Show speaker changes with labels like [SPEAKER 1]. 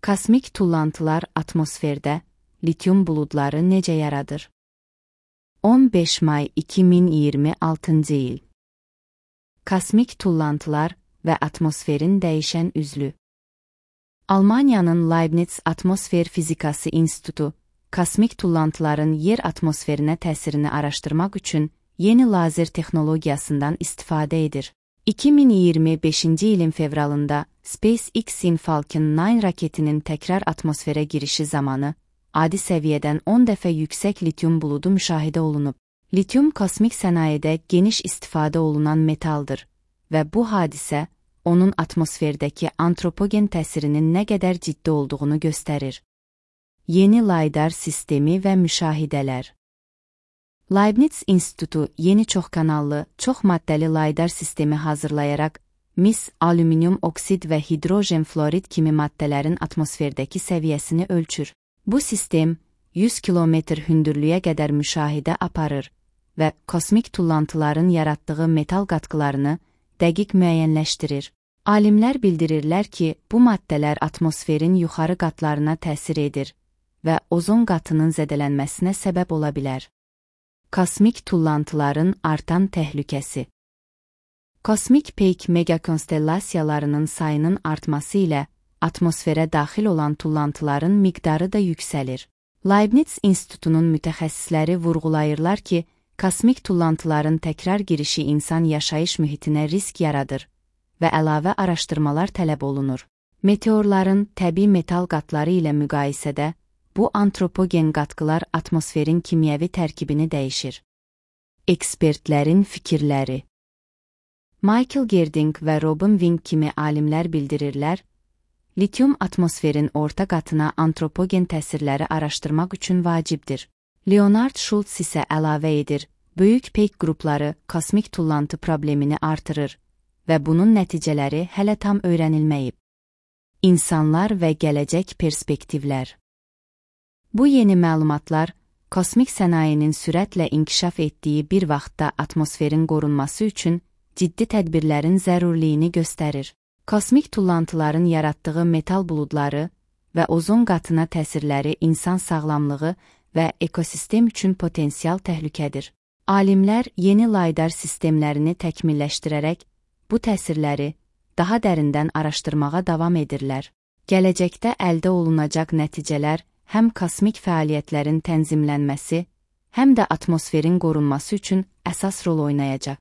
[SPEAKER 1] Kosmik tullantılar atmosferdə lityum buludları necə yaradır? 15 may 2026 il. Kosmik tullantılar və atmosferin dəyişən üzlü. Almaniyanın Leibniz Atmosfer Fizikası İnstitutu, kosmik tullantıların yer atmosferinə təsirini araşdırmaq üçün yeni lazer texnologiyasından istifadə edir. 2025 ilin fevralında SpaceX-in Falcon 9 raketinin təkrar atmosferə girişi zamanı adi səviyyədən 10 dəfə yüksək lityum buludu müşahidə olunub. Lityum kosmik sənayedə geniş istifadə olunan metaldır və bu hadisə onun atmosferdəki antropogen təsirinin nə qədər ciddi olduğunu göstərir. Yeni laydar sistemi və müşahidələr. Leibniz İnstitutu yeni çoxkanallı, çox maddəli laydar sistemi hazırlayaraq mis, alüminium oksid və hidrojen florid kimi maddələrin atmosferdəki səviyyəsini ölçür. Bu sistem 100 kilometr hündürlüyə qədər müşahidə aparır və kosmik tullantıların yaratdığı metal qatqılarını dəqiq müəyyənləşdirir. Alimlər bildirirlər ki, bu maddələr atmosferin yuxarı qatlarına təsir edir və ozon qatının zədələnməsinə səbəb ola bilər. Kosmik tullantıların artan təhlükəsi. Kosmik peyk megakonstellasiyalarının sayının artması ilə atmosferə daxil olan tullantıların miqdarı da yüksəlir. Leibniz İnstitutunun mütəxəssisləri vurğulayırlar ki, kosmik tullantıların təkrar girişi insan yaşayış mühitinə risk yaradır və əlavə araşdırmalar tələb olunur. Meteorların təbii metal qatları ilə müqayisədə bu antropogen qatqılar atmosferin kimyəvi tərkibini dəyişir. Ekspertlərin fikirləri. Michael Gerding və Robin Wing kimi alimlər bildirirlər, lityum atmosferin orta qatına antropogen təsirləri araşdırmaq üçün vacibdir. Leonard Schultz isə əlavə edir, böyük peyk qrupları kosmik tullantı problemini artırır və bunun nəticələri hələ tam öyrənilməyib. İnsanlar və gələcək perspektivlər. Bu yeni məlumatlar, kosmik sənayenin sürətlə inkişaf etdiyi bir vaxtda atmosferin qorunması üçün ciddi tədbirlərin zərurliyini göstərir. Kosmik tullantıların yaratdığı metal buludları və ozon qatına təsirləri insan sağlamlığı və ekosistem üçün potensial təhlükədir. Alimlər yeni laydar sistemlərini təkmilləşdirərək bu təsirləri daha dərindən araşdırmağa davam edirlər. Gələcəkdə əldə olunacaq nəticələr həm kosmik fəaliyyətlərin tənzimlənməsi, həm də atmosferin qorunması üçün əsas rol oynayacaq.